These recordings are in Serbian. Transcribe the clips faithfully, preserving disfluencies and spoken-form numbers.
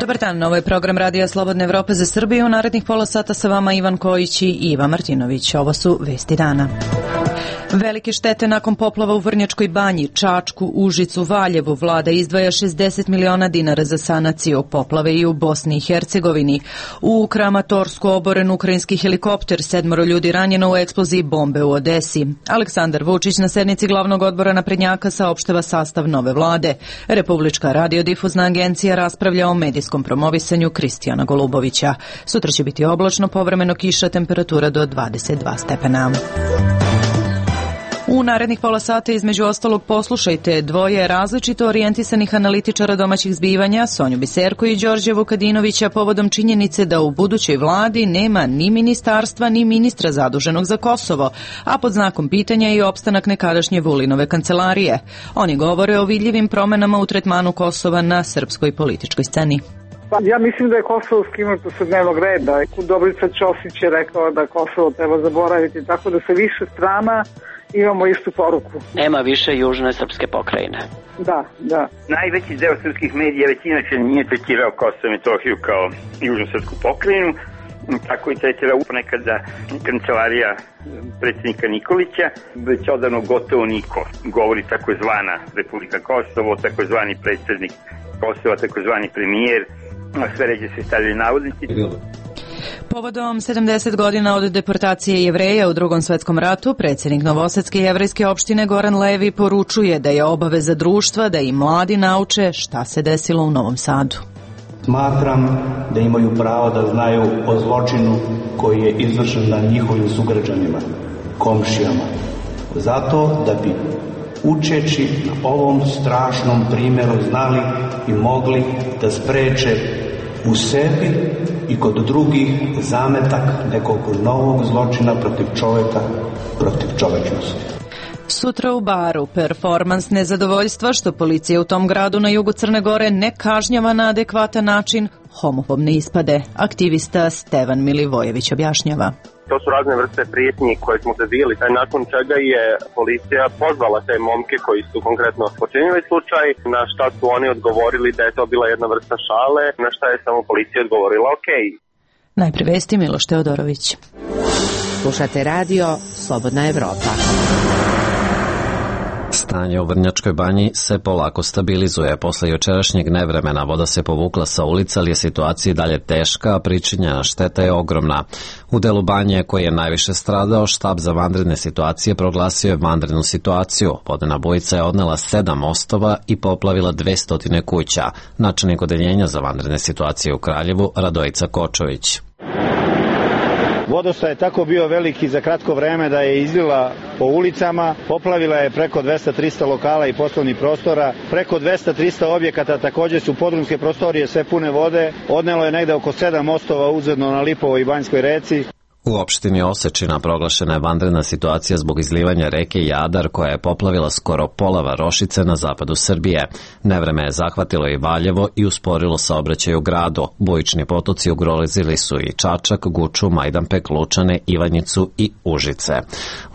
Dobar dan, ovo je program Radija Slobodne Evrope za Srbiju. U narednih pola sata sa vama Ivan Kojić i Iva Martinović. Ovo su vesti dana. Velike štete nakon poplava u Vrnjačkoj Banji, Čačku, Užicu, Valjevu. Vlada izdvaja šezdeset miliona dinara za sanaciju poplave i u Bosni i Hercegovini. U Kramatorsku oboren ukrajinski helikopter, sedmoro ljudi ranjeno u eksploziji bombe u Odesi. Aleksandar Vučić na sednici glavnog odbora naprednjaka saopštava sastav nove vlade. Republička radiodifuzna agencija raspravlja o medijskom promovisanju Kristijana Golubovića. Sutra će biti oblačno, povremeno kiša, temperatura do dvadeset dva stepena. U narednih pola sata između ostalog poslušajte dvoje različito orijentisanih analitičara domaćih zbivanja, Sonju Biserku i Đorđe Vukadinovića, povodom činjenice da u budućoj vladi nema ni ministarstva ni ministra zaduženog za Kosovo, a pod znakom pitanja je i opstanak nekadašnje Vulinove kancelarije. Oni govore o vidljivim promenama u tretmanu Kosova na srpskoj političkoj sceni. Ja mislim da je Kosovo skinuto sa dnevnog reda. Dobrica Ćosić je rekao da Kosovo treba zaboraviti, tako da sa više strana imamo istu poruku. Nema više južne srpske pokrajine. Da, da. Najveći deo srpskih medija već inače nije tretirao Kosovo i Metohiju kao južnu srpsku pokrajinu, tako i tretirao ponekada kancelarija predsjednika Nikolića, već odavno gotovo niko govori takozvana Republika Kosovo, takozvani predsjednik Kosova, takozvani premijer, sve ređe se stavljaju navodnici. Povodom sedamdeset godina od deportacije Jevreja u Drugom svetskom ratu, predsjednik Novosadske jevrejske opštine Goran Levi poručuje da je obaveza društva da i mladi nauče šta se desilo u Novom Sadu. Smatram da imaju pravo da znaju o zločinu koji je izvršen na njihovim sugrađanima, komšijama. Zato da bi učeći na ovom strašnom primjeru znali i mogli da spreče u sebi i kod drugih zametak nekog novog zločina protiv čovjeka, protiv čovečnosti. Sutra u Baru performans nezadovoljstva što policija u tom gradu na jugu Crne Gore ne kažnjava na adekvatan način homofobne ispade. Aktivista Stevan Milivojević objašnjava. To su razne vrste prijetnji koje smo dobili, nakon čega je policija pozvala te momke koji su konkretno počinili slučaj, na šta su oni odgovorili da je to bila jedna vrsta šale, na šta je samo policija odgovorila ok. Najpre vesti Miloš Teodorović. Slušate radio Slobodna Evropa. Stanje u Vrnjačkoj Banji se polako stabilizuje. Posle jučerašnjeg nevremena voda se povukla sa ulica, ali je situacija i dalje teška, a pričinjena šteta je ogromna. U delu Banje koji je najviše stradao, štab za vanredne situacije proglasio je vanrednu situaciju. Vodena bujica je odnela sedam mostova i poplavila dvesta kuća. Načelnik odeljenja za vanredne situacije u Kraljevu, Radojica Kočović. Vodostaj je tako bio veliki za kratko vreme da je izlila po ulicama, poplavila je preko dvesta do trista lokala i poslovnih prostora, preko dvesta do trista objekata, također su podrumske prostorije sve pune vode, odnelo je negde oko sedam mostova uzvodno na Lipovoj i Banjskoj reci. U opštini Osečina proglašena je vanredna situacija zbog izlivanja reke Jadar koja je poplavila skoro pola varošice na zapadu Srbije. Nevreme je zahvatilo i Valjevo i usporilo saobraćaj u gradu. Bujični potoci ugrozili su i Čačak, Guču, Majdanpek, Lučane, Ivanjicu i Užice.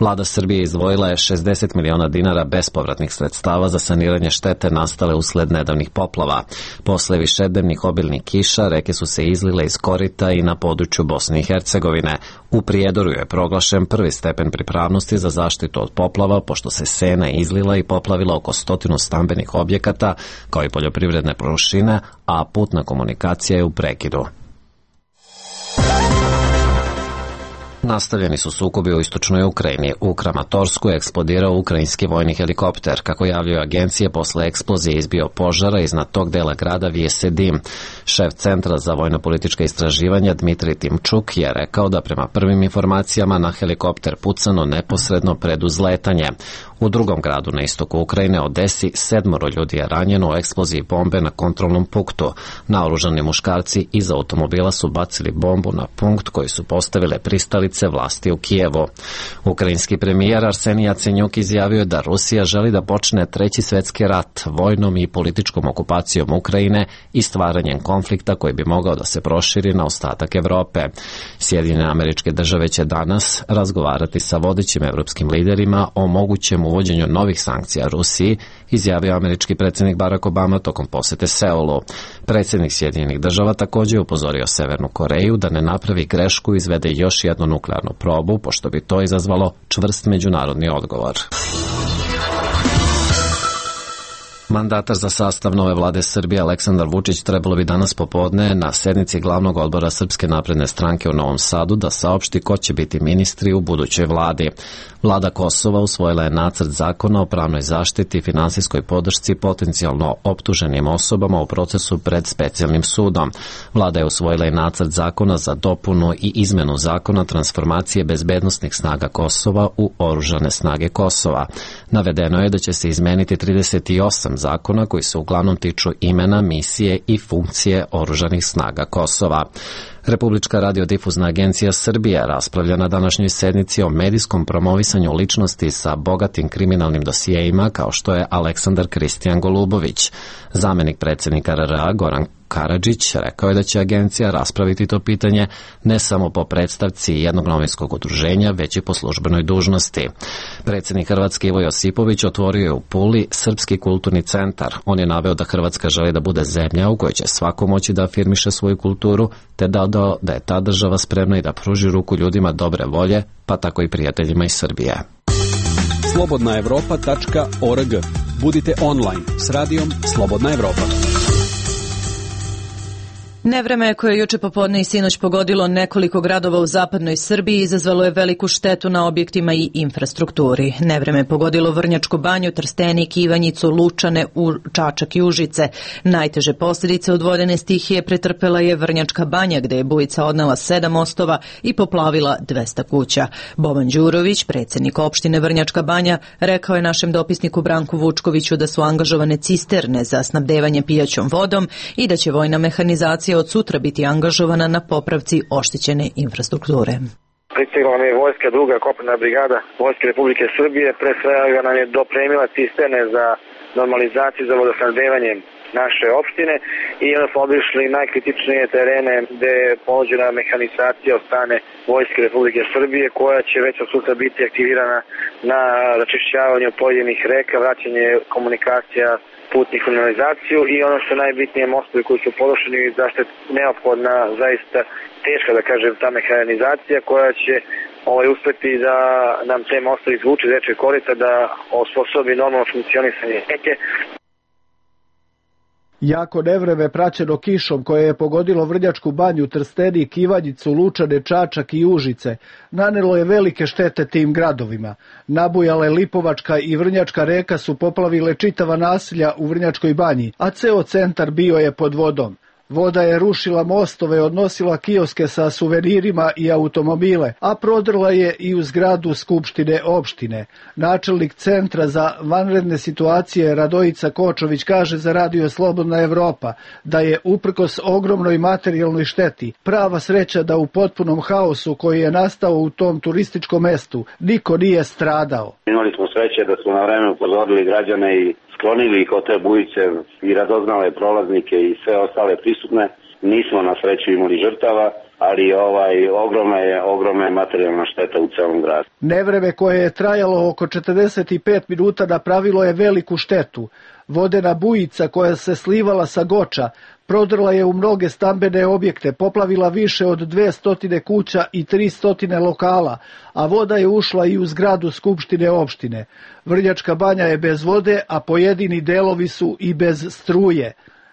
Vlada Srbije izdvojila je šezdeset miliona dinara bespovratnih sredstava za saniranje štete nastale usled nedavnih poplava. Posle višednevnih obilnih kiša reke su se izlile iz korita i na području Bosne i Hercegovine. U Prijedoru je proglašen prvi stepen pripravnosti za zaštitu od poplava, pošto se Sena izlila i poplavila oko stotinu stambenih objekata, kao i poljoprivredne površine, a putna komunikacija je u prekidu. Nastavljeni su sukobi u istočnoj Ukrajini. U Kramatorsku je eksplodirao ukrajinski vojni helikopter. Kako javljaju agencije, posle eksplozije izbio požara, iznad tog dela grada vije se dim. Šef Centra za vojno-politička istraživanja Dmitrij Timčuk je rekao da prema prvim informacijama na helikopter pucano neposredno pred uzletanje. U drugom gradu na istoku Ukrajine, Odesi, sedmoro ljudi je ranjeno u eksploziji bombe na kontrolnom punktu. Naoružani muškarci iz automobila su bacili bombu na punkt koji su postavile pristalice vlasti u Kijevu. Ukrajinski premijer Arsenij Jacenjuk izjavio je da Rusija želi da počne treći svetski rat vojnom i političkom okupacijom Ukrajine i stvaranjem konflikta koji bi mogao da se proširi na ostatak Evrope. Sjedinjene Američke Države će danas razgovarati sa vodećim evropskim liderima o mogućem uvođenju novih sankcija Rusiji izjavio američki predsjednik Barack Obama tokom posete Seulu. Predsjednik Sjedinjenih država također je upozorio Severnu Koreju da ne napravi grešku i izvede još jednu nuklearnu probu, pošto bi to izazvalo čvrst međunarodni odgovor. Mandatar za sastav nove vlade Srbije Aleksandar Vučić trebalo bi danas popodne na sednici glavnog odbora Srpske napredne stranke u Novom Sadu da saopšti ko će biti ministri u budućoj vladi. Vlada Kosova usvojila je nacrt zakona o pravnoj zaštiti i finansijskoj podršci potencijalno optuženim osobama u procesu pred specijalnim sudom. Vlada je usvojila i nacrt zakona za dopunu i izmenu zakona transformacije bezbednosnih snaga Kosova u oružane snage Kosova. Navedeno je da će se izmeniti trideset osam zakona koji se uglavnom tiču imena, misije i funkcije oružanih snaga Kosova. Republička radiodifuzna agencija Srbije raspravlja na današnjoj sednici o medijskom promovisanju ličnosti sa bogatim kriminalnim dosijeima kao što je Aleksandar Kristijan Golubović. Zamenik predsjednika R R A Goran Karadžić rekao je da će agencija raspraviti to pitanje ne samo po predstavci jednog novinskog udruženja, već i po službenoj dužnosti. Predsjednik Hrvatske Ivo Josipović otvorio je u Puli Srpski kulturni centar. On je naveo da Hrvatska želi da bude zemlja u kojoj će svako moći da afirmiše svoju kulturu, te dodao da je ta država spremna i da pruži ruku ljudima dobre volje, pa tako i prijateljima iz Srbije. slobodna evropa tačka org. Budite online s radijom Slobodna Evropa. Nevreme koje je juče popodne i sinoć pogodilo nekoliko gradova u zapadnoj Srbiji izazvalo je veliku štetu na objektima i infrastrukturi. Nevreme je pogodilo Vrnjačku banju, Trstenik, Ivanjicu, Lučane, Čačak i Užice. Najteže posljedice od vodene stihije pretrpela je Vrnjačka banja, gde je bujica odnela sedam mostova i poplavila dvesta kuća. Boban Đurović, predsjednik opštine Vrnjačka banja, rekao je našem dopisniku Branku Vučkoviću da su angažovane cisterne za snabdevanje pijaćom vodom i da će vojna mehanizacija od sutra biti angažovana na popravci oštećene infrastrukture. Pristigla nam je vojska, druga kopnena brigada Vojske Republike Srbije, pre svega nam je dopremila cisterne za normalizaciju za vodosnabdevanje naše opštine i onda smo obišli najkritičnije terene gde je ponuđena mehanizacija od strane Vojske Republike Srbije koja će već od sutra biti aktivirana na račišćavanju pojedinih reka, vraćanje komunikacija putnih kanalizaciju i ono što je najbitnije mostovi koji su porušeni i zašto je neophodna zaista teška da kažem ta mehanizacija koja će ovaj, uspeti da nam te mostovi izvuče iz rečnog korita da osposobi normalno funkcionisanje reke. Jako nevreme praćeno kišom koje je pogodilo Vrnjačku banju, Trstenik, Ivanjicu, Lučane, Čačak i Užice nanelo je velike štete tim gradovima. Nabujale Lipovačka i Vrnjačka reka su poplavile čitava naselja u Vrnjačkoj banji, a ceo centar bio je pod vodom. Voda je rušila mostove, odnosila kioske sa suvenirima i automobile, a prodrla je i u zgradu Skupštine opštine. Načelnik Centra za vanredne situacije Radojica Kočović kaže za Radio Slobodna Evropa da je uprkos ogromnoj materijalnoj šteti prava sreća da u potpunom haosu koji je nastao u tom turističkom mestu niko nije stradao. Imali smo sreće da smo na vreme upozorili građane i sklonili ih od te bujice i radoznale prolaznike i sve ostale prisutne. Nismo na sreću imali žrtava, ali ovaj ogromna je ogromna materijalna šteta u celom gradu. Nevreme koje je trajalo oko četrdeset pet minuta napravilo je veliku štetu. Vodena bujica koja se slivala sa Goča prodrla je u mnoge stambene objekte, poplavila više od dvesta kuća i tristo lokala, a voda je ušla i u zgradu Skupštine opštine. Vrnjačka banja je bez vode, a pojedini delovi su i bez struje.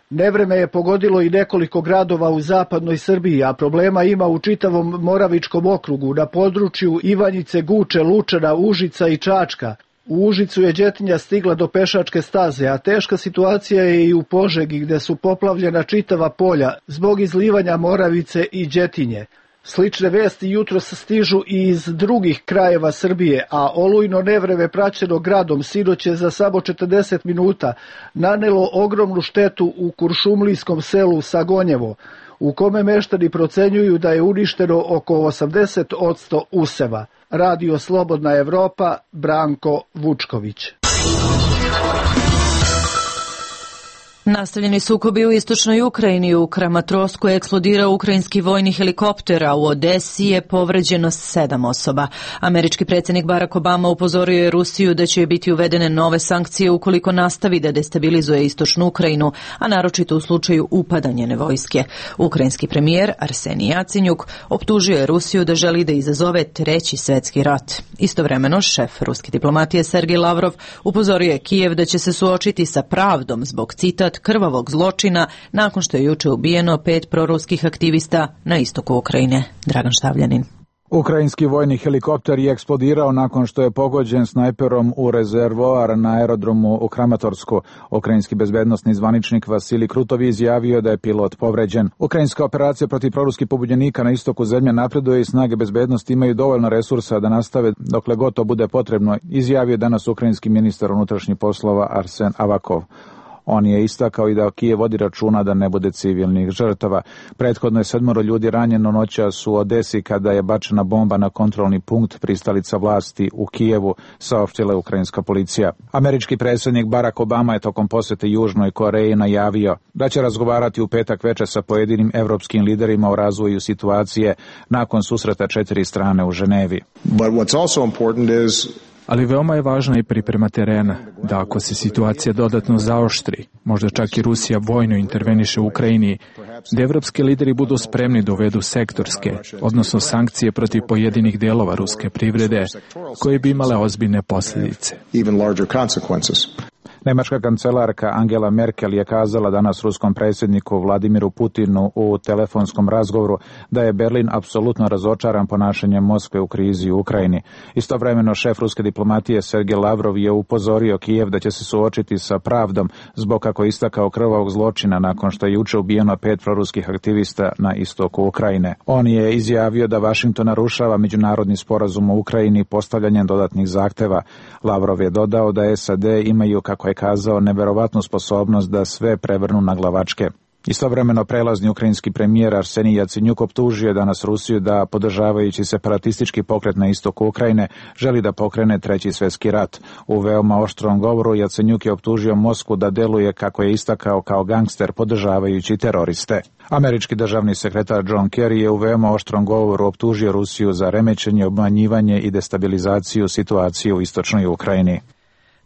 Nevreme je pogodilo i nekoliko gradova u zapadnoj Srbiji, a problema ima u čitavom Moravičkom okrugu, na području Ivanjice, Guče, Lučana, Užica i Čačka. U Užicu je đetinja stigla do pešačke staze, a teška situacija je i u Požegi gde su poplavljena čitava polja zbog izlivanja Moravice i đetinje. Slične vesti jutros stižu i iz drugih krajeva Srbije, a olujno nevreme praćeno gradom sinoć je za samo četrdeset minuta nanelo ogromnu štetu u kuršumlijskom selu Sagonjevo, u kome meštani procenjuju da je uništeno oko osamdeset posto useva. Radio Slobodna Evropa, Branko Vučković. Nastavljeni sukobi u istočnoj Ukrajini. U Kramatorskoj je eksplodirao ukrajinski vojni helikopter, a u Odesi je povređeno sedam osoba. Američki predsjednik Barack Obama upozorio je Rusiju da će biti uvedene nove sankcije ukoliko nastavi da destabilizuje istočnu Ukrajinu, a naročito u slučaju upada njene vojske. Ukrajinski premijer Arsenij Jacenjuk optužio je Rusiju da želi da izazove treći svetski rat. Istovremeno, šef ruske diplomatije Sergej Lavrov upozorio je Kijev da će se suočiti sa pravdom zbog, citat, krvavog zločina nakon što je juče ubijeno pet proruskih aktivista na istoku Ukrajine. Dragan Štavljanin. Ukrajinski vojni helikopter je eksplodirao nakon što je pogođen snajperom u rezervoar na aerodromu u Kramatorsku. Ukrajinski bezbednosni zvaničnik Vasilij Krutov izjavio da je pilot povređen. Ukrajinska operacija protiv proruskih pobunjenika na istoku zemlje napreduje i snage bezbednosti imaju dovoljno resursa da nastave dokle god to bude potrebno, izjavio danas ukrajinski ministar unutrašnjih poslova Arsen Avakov. On je istakao i da Kijev vodi računa da ne bude civilnih žrtava. Prethodno je sedmoro ljudi ranjeno noćas u Odesi kada je bačena bomba na kontrolni punkt pristalica vlasti u Kijevu, saopštila je ukrajinska policija. Američki predsjednik Barack Obama je tokom posete Južnoj Koreji najavio da će razgovarati u petak veče sa pojedinim evropskim liderima o razvoju situacije nakon susreta četiri strane u Ženevi. But what's also important is Ali veoma je važna i priprema terena, da ako se situacija dodatno zaoštri, možda čak i Rusija vojno interveniše u Ukrajini, da evropski lideri budu spremni da uvedu sektorske, odnosno sankcije protiv pojedinih delova ruske privrede, koje bi imale ozbiljne posljedice. Nemačka kancelarka Angela Merkel je kazala danas ruskom predsjedniku Vladimiru Putinu u telefonskom razgovoru da je Berlin apsolutno razočaran ponašanjem Moskve u krizi u Ukrajini. Istovremeno šef ruske diplomatije Sergej Lavrov je upozorio Kijev da će se suočiti sa pravdom zbog, kako je istakao, krvavog zločina nakon što je juče ubijeno pet proruskih aktivista na istoku Ukrajine. On je izjavio da Vašington narušava međunarodni sporazum u Ukrajini postavljanjem dodatnih zahteva. Lavrov je dodao da S A D imaju, kako je kazao, neverovatnu sposobnost da sve prevrnu na glavačke. Istovremeno prelazni ukrajinski premijer Arsenij Jacenjuk optužio danas Rusiju da, podržavajući separatistički pokret na istoku Ukrajine, želi da pokrene treći svjetski rat. U veoma oštrom govoru Jacenjuk je optužio Moskvu da deluje, kako je istakao, kao gangster podržavajući teroriste. Američki državni sekretar John Kerry je u veoma oštrom govoru optužio Rusiju za remećenje, obmanjivanje i destabilizaciju situacije u istočnoj Ukrajini.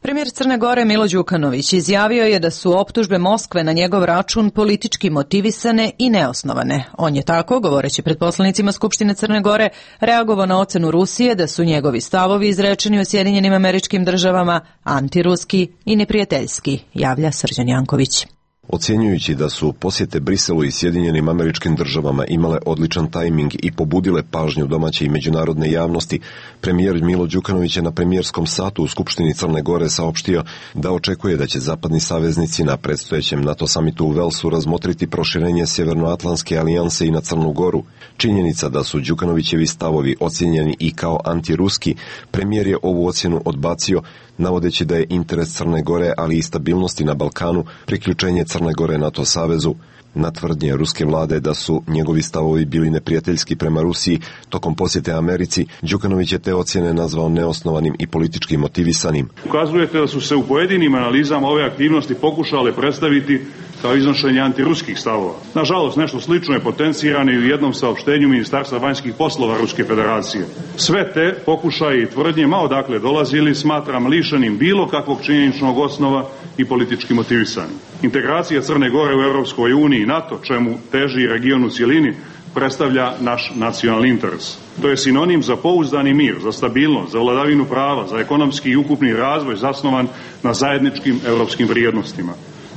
Premijer Crne Gore Milo Đukanović izjavio je da su optužbe Moskve na njegov račun politički motivisane i neosnovane. On je tako, govoreći pred poslanicima Skupštine Crne Gore, reagovao na ocenu Rusije da su njegovi stavovi izrečeni u Sjedinjenim Američkim Državama antiruski i neprijateljski, javlja Srđan Janković. Ocjenjujući da su posjete Briselu i Sjedinjenim Američkim Državama imale odličan tajming i pobudile pažnju domaće i međunarodne javnosti, premijer Milo Đukanović je na premijerskom satu u Skupštini Crne Gore saopštio da očekuje da će zapadni saveznici na predstojećem NATO samitu u Velsu razmotriti proširenje Sjevernoatlantske alijanse i na Crnu Goru. Činjenica da su Đukanovićevi stavovi ocjenjeni i kao antiruski, premijer je ovu ocjenu odbacio, navodeći da je interes Crne Gore, ali i stabilnosti na Balkanu, priključenje Crne Gore NATO savezu. Na tvrdnje ruske vlade da su njegovi stavovi bili neprijateljski prema Rusiji tokom posjete Americi, Đukanović je te ocjene nazvao neosnovanim i politički motivisanim. Ukazujete da su se u pojedinim analizama ove aktivnosti pokušale predstaviti kao iznošenje antiruskih stavova. Nažalost, nešto slično je potencirano i u jednom saopštenju Ministarstva vanjskih poslova Ruske federacije. Sve te pokušaje i tvrdnje, ma odakle dolazili, smatram lišenim bilo kakvog činjeničnog osnova i politički motivisanim. Integracija Crne Gore u Europskoj uniji i NATO, čemu teži region u cjelini, predstavlja naš nacionalni interes. To je sinonim za pouzdani mir, za stabilnost, za vladavinu prava, za ekonomski i ukupni razvoj zasnovan na zajedničkim europskim vrijednostima.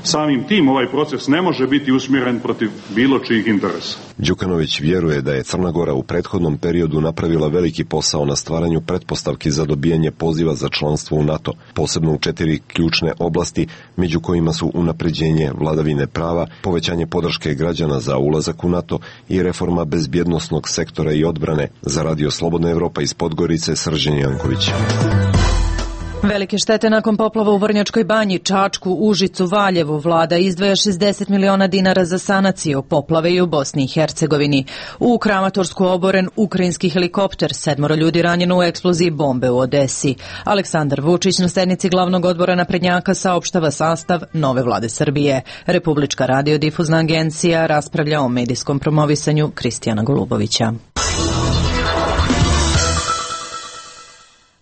Samim tim ovaj proces ne može biti usmjeren protiv bilo čijih interesa. Đukanović vjeruje da je Crna Gora u prethodnom periodu napravila veliki posao na stvaranju pretpostavki za dobijanje poziva za članstvo u NATO, posebno u četiri ključne oblasti, među kojima su unapređenje vladavine prava, povećanje podrške građana za ulazak u NATO i reforma bezbjednosnog sektora i odbrane. Za Radio Slobodna Evropa iz Podgorice, Srđan Janković. Velike štete nakon poplava u Vrnjačkoj banji, Čačku, Užicu, Valjevu. Vlada izdvaja šezdeset miliona dinara za sanaciju poplave i u Bosni i Hercegovini. U Kramatorsku oboren ukrajinski helikopter, sedmoro ljudi ranjeno u eksploziji bombe u Odesi. Aleksandar Vučić na sednici glavnog odbora naprednjaka saopštava sastav nove vlade Srbije. Republička radiodifuzna agencija raspravlja o medijskom promovisanju Kristijana Golubovića.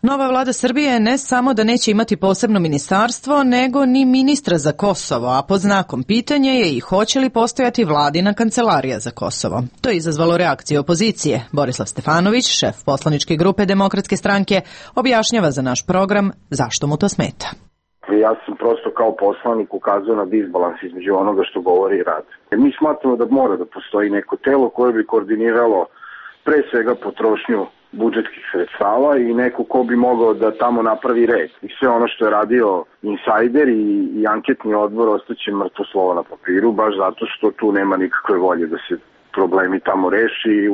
Nova vlada Srbije ne samo da neće imati posebno ministarstvo, nego ni ministra za Kosovo, a pod znakom pitanja je i hoće li postojati vladina kancelarija za Kosovo. To je izazvalo reakcije opozicije. Borislav Stefanović, šef poslaničke grupe Demokratske stranke, objašnjava za naš program zašto mu to smeta. Ja sam prosto kao poslanik ukazao na disbalans između onoga što govori i rad. Mi smatramo da mora da postoji neko telo koje bi koordiniralo pre svega potrošnju budžetskih sredstava i neko ko bi mogao da tamo napravi red. I sve ono što je radio insajder i, i anketni odbor ostaće mrtvo slovo na papiru, baš zato što tu nema nikakve volje da se problemi tamo reši i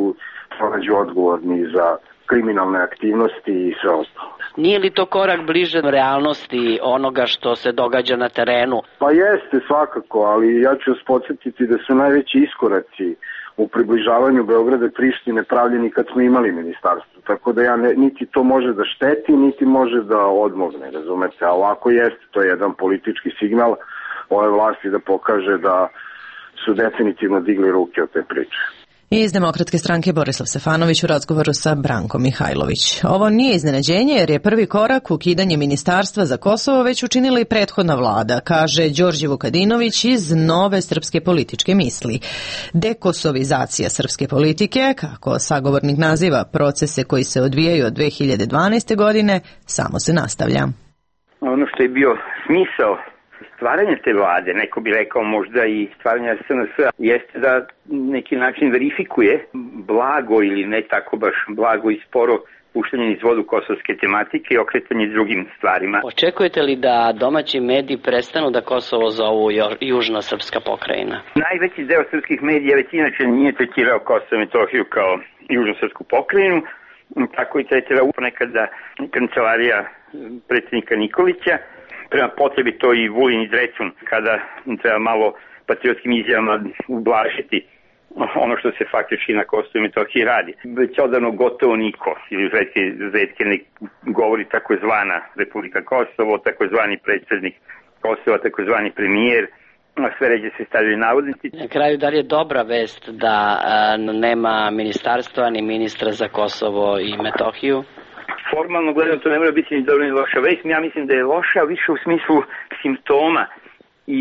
pronađu odgovorni za kriminalne aktivnosti i sve ostalo. Nije li to korak bliže realnosti onoga što se događa na terenu? Pa jeste svakako, ali ja ću vas podsjetiti da su najveći iskoraci u približavanju Beograda i Prištine pravljeni kad smo imali ministarstvo. Tako da ja ne, niti to može da šteti, niti može da odmogne, razumete. A ovako jeste, to je jedan politički signal ove vlasti da pokaže da su definitivno digli ruke od te priče. Iz Demokratske stranke Borislav Stefanović u razgovoru sa Brankom Mihajlović. Ovo nije iznenađenje jer je prvi korak ukidanje ministarstva za Kosovo već učinila i prethodna vlada, kaže Đorđe Vukadinović iz Nove srpske političke misli. Dekosovizacija srpske politike, kako sagovornik naziva procese koji se odvijaju od dve hiljade dvanaeste. godine, samo se nastavlja. Ono što je bio smisao stvaranje te vlade, neko bi rekao možda i stvaranje S N S-a, jeste da neki način verifikuje blago ili ne tako baš blago i sporo puštanje iz vodu kosovske tematike i okretanje drugim stvarima. Očekujete li da domaći mediji prestanu da Kosovo zovu južna srpska pokrajina? Najveći deo srpskih medija već inače nije tretirao Kosovo i Metohiju kao južnu srpsku pokrajinu, tako i tretirao ponekada kancelarija predsjednika Nikolića. Prema potrebi to i Vulin i Drecun, kada treba malo patriotskim izjavama ublažiti ono što se faktički na Kosovu i Metohiji radi. Već odavno gotovo niko, ili redke, redke ne govori takozvana Republika Kosovo, takozvani predsjednik Kosova, takozvani premijer, sve ređe se stavljaju navodnici. Na kraju, da li je dobra vest da a, nema ministarstva ni ministra za Kosovo i Metohiju? Formalno gledano to ne mora biti ni dobro ni loša vest, ja mislim da je loša više u smislu simptoma i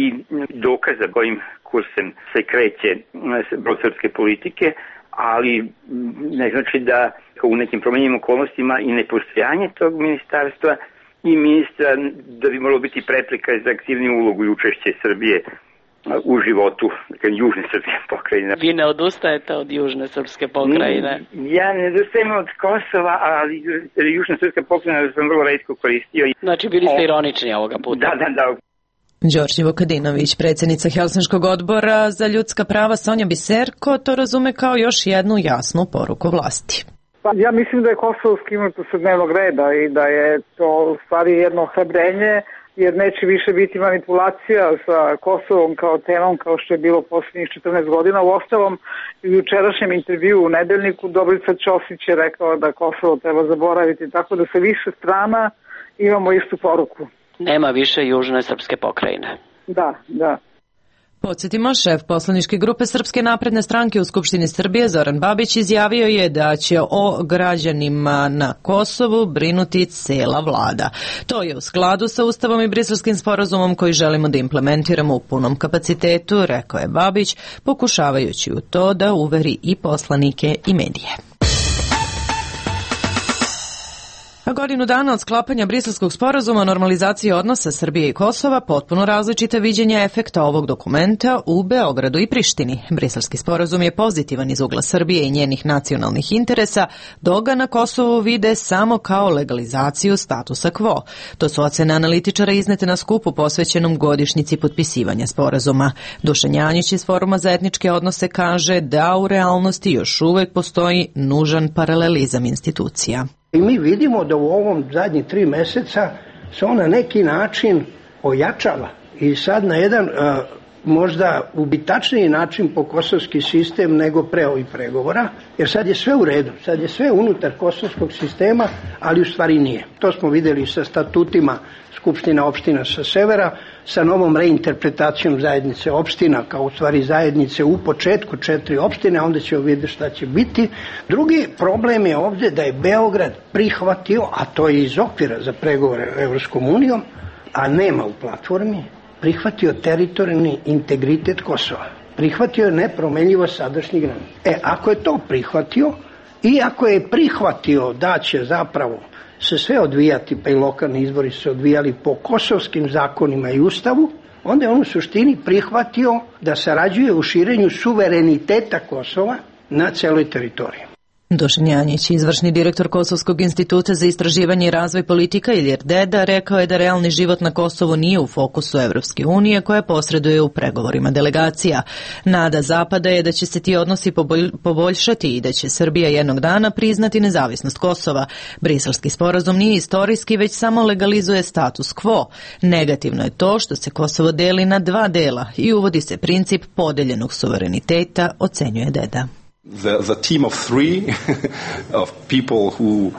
dokaza kojim kursem se kreće brod srpske politike, ali ne znači da u nekim promenjenim okolnostima i nepostojanje tog ministarstva i ministra da bi moralo biti prepreka za aktivniju ulogu i učešće Srbije u životu južne srpske pokrajine. Vi ne odustajete od južne srpske pokrajine? Ja ne odustajem od Kosova, ali južna srpska pokrajina sam vrlo retko koristio. Znači bili ste ironični ovoga puta? Da, da, da. Đorđe Vukadinović, predsjednica Helsinškog odbora za ljudska prava Sonja Biserko, to razume kao još jednu jasnu poruku vlasti. Pa ja mislim da je Kosovo skinuto sa dnevnog reda i da je to u stvari jedno hrabrenje, jer neće više biti manipulacija sa Kosovom kao temom kao što je bilo posljednjih četrnaest godina. U ostalom, u jučerašnjem intervju u Nedeljniku Dobrica Ćosić je rekao da Kosovo treba zaboraviti, tako da sa više strana imamo istu poruku. Nema više južne srpske pokrajine. Da, da. Podsjetimo, šef poslaničke grupe Srpske napredne stranke u Skupštini Srbije Zoran Babić izjavio je da će o građanima na Kosovu brinuti cela vlada. To je u skladu sa Ustavom i Briselskim sporazumom koji želimo da implementiramo u punom kapacitetu, rekao je Babić, pokušavajući u to da uveri i poslanike i medije. A godinu dana od sklapanja Briselskog sporazuma o normalizaciji odnosa Srbije i Kosova, potpuno različite viđenja efekta ovog dokumenta u Beogradu i Prištini. Briselski sporazum je pozitivan iz ugla Srbije i njenih nacionalnih interesa, dok ga na Kosovu vide samo kao legalizaciju statusa quo. To su ocene analitičara iznete na skupu posvećenom godišnjici potpisivanja sporazuma. Dušan Janjić iz Foruma za etničke odnose kaže da u realnosti još uvek postoji nužan paralelizam institucija. I mi vidimo da u ovom zadnjih tri meseca se on na neki način ojačava i sad na jedan a, možda ubitačniji način po kosovski sistem nego pre ovih pregovora, jer sad je sve u redu, sad je sve unutar kosovskog sistema, ali u stvari nije. To smo videli sa statutima Skupština opština sa severa, sa novom reinterpretacijom zajednice opština, kao u stvari zajednice u početku četiri opštine, onda ćemo vidjeti šta će biti. Drugi problem je ovdje da je Beograd prihvatio, a to je iz okvira za pregovore s Evropskom unijom, a nema u platformi, prihvatio teritorijalni integritet Kosova. Prihvatio je nepromenljivo sadašnji granica. E, ako je to prihvatio i ako je prihvatio da će zapravo se sve odvijati, pa i lokalni izbori se odvijali po kosovskim zakonima i ustavu, onda je on u suštini prihvatio da sarađuje u širenju suvereniteta Kosova na celoj teritoriji. Dušan Janjić, izvršni direktor Kosovskog instituta za istraživanje i razvoj politika Ilir Deda, rekao je da realni život na Kosovu nije u fokusu Evropske unije koja posreduje u pregovorima delegacija. Nada Zapada je da će se ti odnosi poboljšati i da će Srbija jednog dana priznati nezavisnost Kosova. Briselski sporazum nije istorijski, već samo legalizuje status quo. Negativno je to što se Kosovo deli na dva dela i uvodi se princip podeljenog suvereniteta, ocenjuje Deda. The, the team of three of people who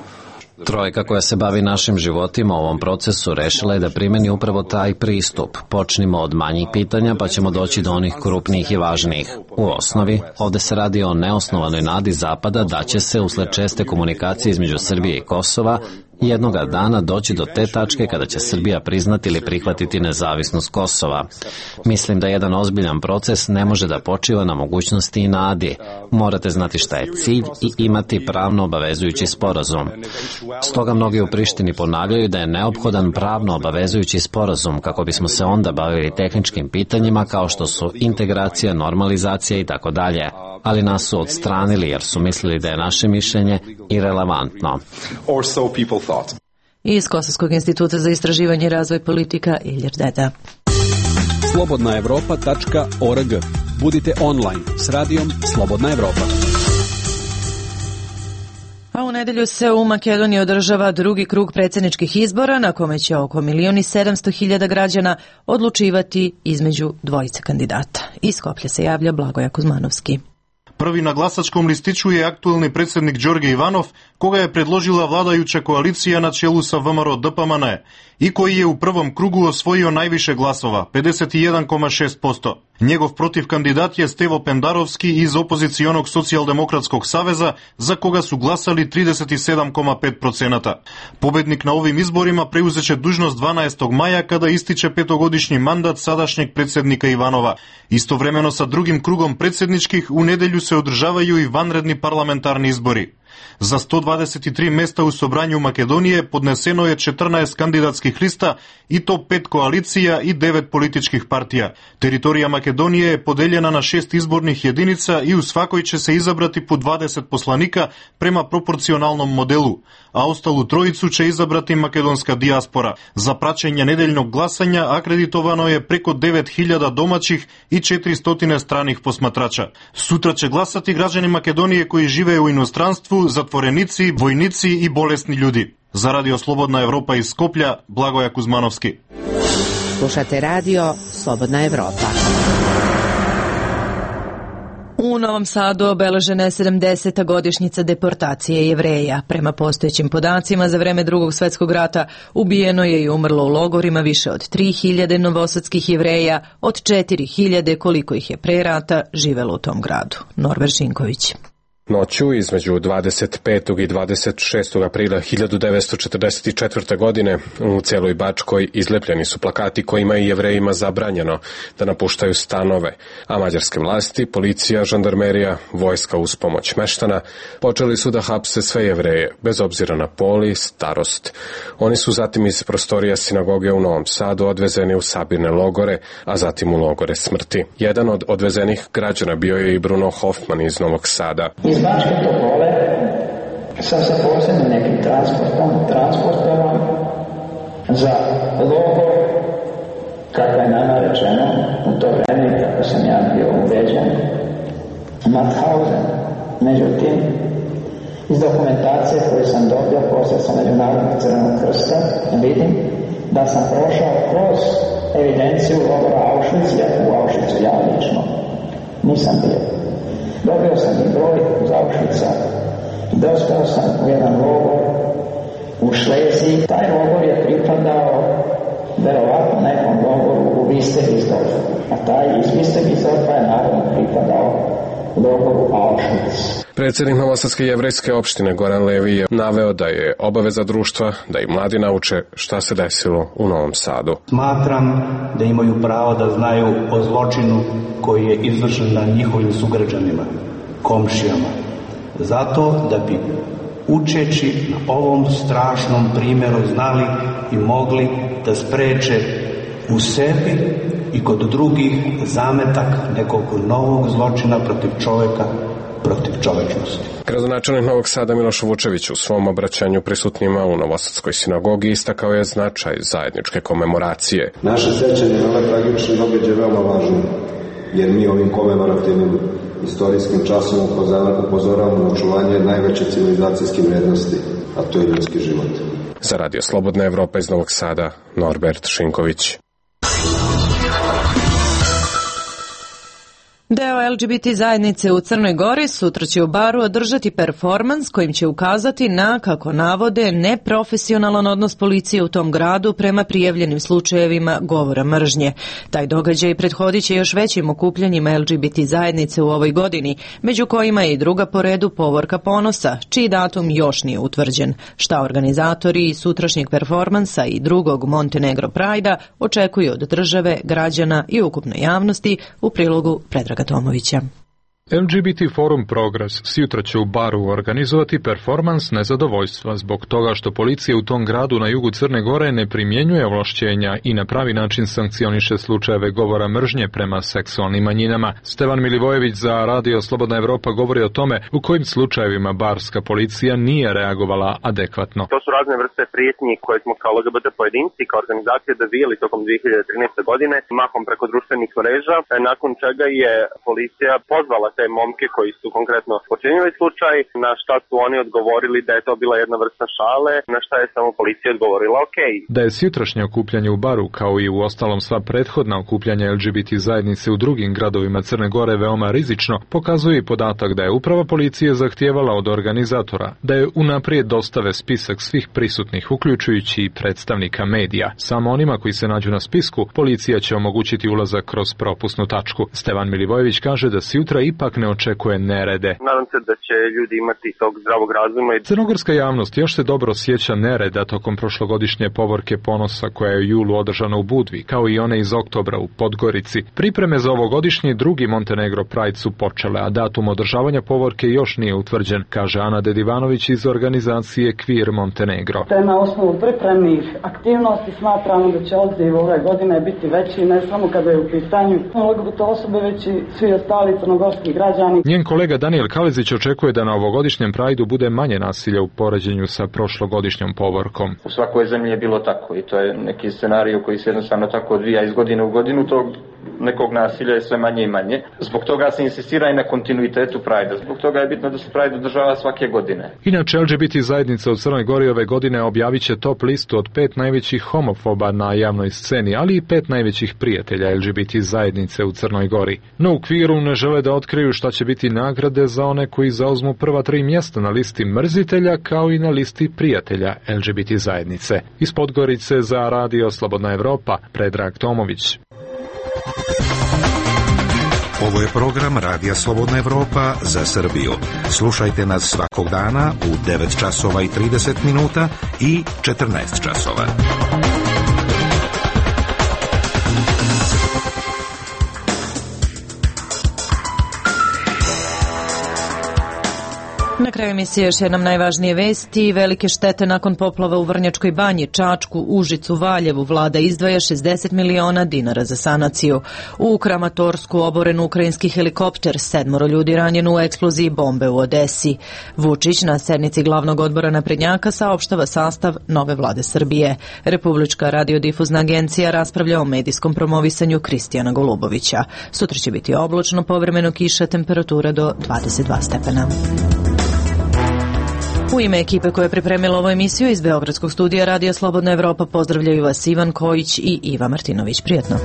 Trojka koja se bavi našim životima u ovom procesu rešila je da primeni upravo taj pristup. Počnimo od manjih pitanja pa ćemo doći do onih krupnijih i važnijih. U osnovi, ovde se radi o neosnovanoj nadi Zapada da će se usled česte komunikacije između Srbije i Kosova jednoga dana doći do te tačke kada će Srbija priznati ili prihvatiti nezavisnost Kosova. Mislim da jedan ozbiljan proces ne može da počiva na mogućnosti i nadi. Morate znati šta je cilj i imati pravno obavezujući sporazum. Stoga mnogi u Prištini ponavljaju da je neophodan pravno obavezujući sporazum kako bismo se onda bavili tehničkim pitanjima kao što su integracija, normalizacija i tako dalje. Ali nas su odstranili jer su mislili da je naše mišljenje irelevantno. Iz Kosovskog instituta za istraživanje i razvoj politika Ilir Deda. slobodna evropa tačka org. Budite online s radijom Slobodna Evropa. A u nedelju se u Makedoniji održava drugi krug predsjedničkih izbora na kome će oko milion i sedamsto hiljada građana odlučivati između dvojice kandidata. Iz Skoplja se javlja Blagoja Kuzmanovski. Prvi na glasačkom listiću je aktuelni predsjednik Đorđe Ivanov, koga je predložila vladajuća koalicija na čelu sa V M R O D P M N i koji je u prvom krugu osvojio najviše glasova, pedeset jedan zarez šest posto. Njegov protivkandidat je Stevo Pendarovski iz opozicionog socijaldemokratskog saveza, za koga su glasali trideset sedam zarez pet procenata. Pobednik na ovim izborima preuzeće dužnost dvanaestog maja kada ističe petogodišnji mandat sadašnjeg predsjednika Ivanova. Istovremeno sa drugim krugom predsjedničkih u nedelju se održavaju i vanredni parlamentarni izbori. Za sto dvadeset tri mesta u Sobranju Makedonije podneseno je četrnaest kandidatskih lista i to pet koalicija i devet političkih partija. Teritorija Makedonije je podeljena na šest izbornih jedinica i u svakoj će se izabrati po dvadeset poslanika prema proporcionalnom modelu, a ostalu trojicu će izabrati makedonska dijaspora. Za praćenje nedeljnog glasanja akreditovano je preko devet hiljada domaćih i četiristo stranih posmatrača. Sutra će glasati građani Makedonije koji žive u inostranstvu, zatvorenici, vojnici i bolesni ljudi. Za Radio Slobodna Evropa iz Skoplja, Blagoja Kuzmanovski. Slušate Radio Slobodna Evropa. U Novom Sadu obeležena je sedamdeseta godišnjica deportacije Jevreja. Prema postojećim podacima, za vreme Drugog svjetskog rata ubijeno je i umrlo u logorima više od tri hiljade novosadskih Jevreja, od četiri hiljade koliko ih je pre rata živelo u tom gradu. Norber Šinković. Noću između dvadeset petog i dvadeset šestog aprila hiljadu devetsto četrdeset četvrte. godine u celoj Bačkoj izlepljeni su plakati kojima je Jevrejima zabranjeno da napuštaju stanove, a mađarske vlasti, policija, žandarmerija, vojska uz pomoć meštana počeli su da hapse sve Jevreje, bez obzira na pol i starost. Oni su zatim iz prostorija sinagoge u Novom Sadu odvezeni u sabirne logore, a zatim u logore smrti. Jedan od odvezenih građana bio je i Bruno Hoffman iz Novog Sada. Iz Bačke Topole sam sa posebnim nekim transportom transportovan za logor, kako je nama rečeno u to vreme, kako sam ja bio ubeđen, Mauthausen. Međutim, iz dokumentacije koju sam dobio posle sa Međunarodnog crvenog krsta vidim da sam prošao kroz evidenciju logora Auschwitz, ja u Auschwitzu ja lično nisam bio. Dobio sam i broj iz Auschwitza, dospeo sam u jedan logor u Šleziji. Taj logor je pripadao verovatno nekom logoru u Wiesterinsdorfu, a taj iz Wiesterinsdorfa je naravno pripadao logoru Auschwitz. Predsjednik Novosadske jevrejske opštine Goran Levi je naveo da je obaveza društva da i mladi nauče šta se desilo u Novom Sadu. Smatram da imaju pravo da znaju o zločinu koji je izvršen na njihovim sugrađanima, komšijama. Zato da bi učeći na ovom strašnom primjeru znali i mogli da spreče u sebi i kod drugih zametak nekog novog zločina protiv čoveka, protiv čovečnosti. Gradonačelnik Novog Sada Miloš Vučević u svom obraćanju prisutnima u Novosadskoj sinagogi istakao je značaj zajedničke komemoracije. Naše sećanje na ove tragične događaje je veoma važno, jer mi ovim komemorativnim istorijskim časom upozoravamo na očuvanje najveće civilizacijske vrednosti, a to je ljudski život. Za Radio Slobodna Evropa iz Novog Sada, Norbert Šinković. Deo el ge be te zajednice u Crnoj Gori sutra će u baru održati performans kojim će ukazati na, kako navode, neprofesionalan odnos policije u tom gradu prema prijavljenim slučajevima govora mržnje. Taj događaj prethodit će još većim okupljanjima el ge be te zajednice u ovoj godini, među kojima je i druga po redu Povorka ponosa, čiji datum još nije utvrđen. Šta organizatori sutrašnjeg performansa i drugog Montenegro Prajda očekuju od države, građana i ukupne javnosti, u prilogu Predraga Tomovića. el ge be te Forum Progres sjutra će u baru organizovati performans nezadovoljstva zbog toga što policija u tom gradu na jugu Crne Gore ne primjenjuje ovlašćenja i na pravi način sankcioniše slučajeve govora mržnje prema seksualnim manjinama. Stevan Milivojević za Radio Slobodna Evropa govori o tome u kojim slučajevima barska policija nije reagovala adekvatno. To su razne vrste prijetnji koje smo kao el ge be te pojedinci, kao organizacije dovijeli tokom dvije hiljade trinaeste. godine, mahom preko društvenih mreža, nakon čega je policija pozvala te momke koji su konkretno počinili slučaj, na šta su oni odgovorili da je to bila jedna vrsta šale, na šta je samo policija odgovorila ok. Da je sjutrašnje okupljanje u baru, kao i u ostalom sva prethodna okupljanja el ge be te zajednice u drugim gradovima Crne Gore veoma rizično, pokazuje i podatak da je uprava policije zahtijevala od organizatora da je unaprijed dostave spisak svih prisutnih, uključujući i predstavnika medija. Samo onima koji se nađu na spisku, policija će omogućiti ulazak kroz propusnu tačku. Stevan Milivojević kaže da se jutra ipak ne očekuje nerede. Nadam se da će ljudi imati tog zdravog razuma. Crnogorska javnost još se dobro sjeća nereda tokom prošlogodišnje Povorke ponosa koja je u julu održana u Budvi, kao i one iz oktobra u Podgorici. Pripreme za ovogodišnji drugi Montenegro Pride su počele, a datum održavanja Povorke još nije utvrđen, kaže Ana Dedivanović iz organizacije Queer Montenegro. Na osnovu pripremnih aktivnosti smatramo da će odziv ove godine biti veći, ne samo kada je u pitanju el ge be te osobe, već i svi ostali crnogorski građani. Njen kolega Daniel Kalezić očekuje da na ovogodišnjem Prajdu bude manje nasilja u poređenju sa prošlogodišnjom Povorkom. U svakoj zemlji je bilo tako i to je neki scenarij koji se jednostavno tako odvija iz godine u godinu, tog nekog nasilja je sve manje i manje. Zbog toga se insistira i na kontinuitetu Prajda. Zbog toga je bitno da se Pride održava svake godine. Inače, el ge be te zajednica u Crnoj Gori ove godine objavit će top listu od pet najvećih homofoba na javnoj sceni, ali i pet najvećih prijatelja el ge be te zajednice u Crnoj Gori. No u Queeru ne žele da otkriju šta će biti nagrade za one koji zauzmu prva tri mjesta na listi mrzitelja, kao i na listi prijatelja el ge be te zajednice. Iz Podgorice za Radio Slobodna Evropa, Predrag Tomović. Ovo je program Radija Slobodna Evropa za Srbiju. Slušajte nas svakog dana u devet časova i trideset minuta i četrnaest časova. Na kraju emisije još jednom najvažnije vesti. Velike štete nakon poplava u Vrnjačkoj banji, Čačku, Užicu, Valjevu. Vlada izdvaja šezdeset miliona dinara za sanaciju. U Kramatorsku oboren ukrajinski helikopter, sedmoro ljudi ranjeno u eksploziji bombe u Odesi. Vučić na sednici glavnog odbora naprednjaka saopštava sastav nove vlade Srbije. Republička radiodifuzna agencija raspravlja o medijskom promovisanju Kristijana Golubovića. Sutra će biti oblačno, povremeno kiša, temperatura do dvadeset dva stepena. U ime ekipe koja je pripremila ovu emisiju iz Beogradskog studija Radija Slobodna Evropa pozdravljaju vas Ivan Kojić i Iva Martinović. Prijetno.